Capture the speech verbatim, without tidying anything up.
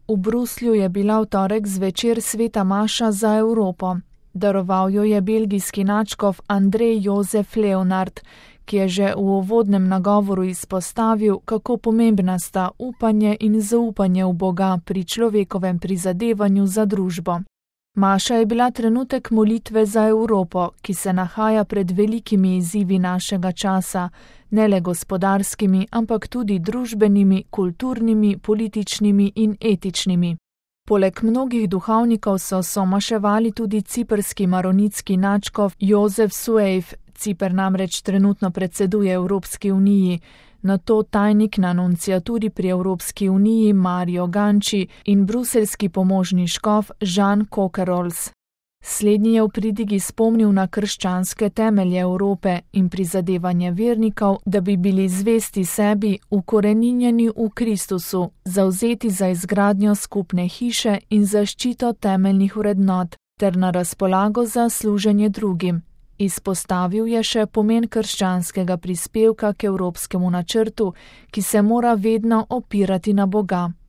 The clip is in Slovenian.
V Bruslju je bila v torek zvečer sveta maša za Evropo. Daroval jo je belgijski nadškof Andrej Jozef Leonard, ki je že v uvodnem nagovoru izpostavil, kako pomembna sta upanje in zaupanje v Boga pri človekovem prizadevanju za družbo. Maša je bila trenutek molitve za Evropo, ki se nahaja pred velikimi izzivi našega časa, ne le gospodarskimi, ampak tudi družbenimi, kulturnimi, političnimi in etičnimi. Poleg mnogih duhovnikov so somaševali tudi ciprski maronitski nadškof Jozef Suejf. Ciper namreč trenutno predseduje Evropski uniji, nato tajnik na nunciaturi pri Evropski uniji Mario Ganci in bruseljski pomožni škof Jean Coquerols. Slednji je v pridigi spomnil na krščanske temelje Evrope in prizadevanje vernikov, da bi bili zvesti sebi, ukoreninjeni v Kristusu, zavzeti za izgradnjo skupne hiše in zaščito temeljnih vrednot, ter na razpolago za služenje drugim. Izpostavil je še pomen krščanskega prispevka k evropskemu načrtu, ki se mora vedno opirati na Boga.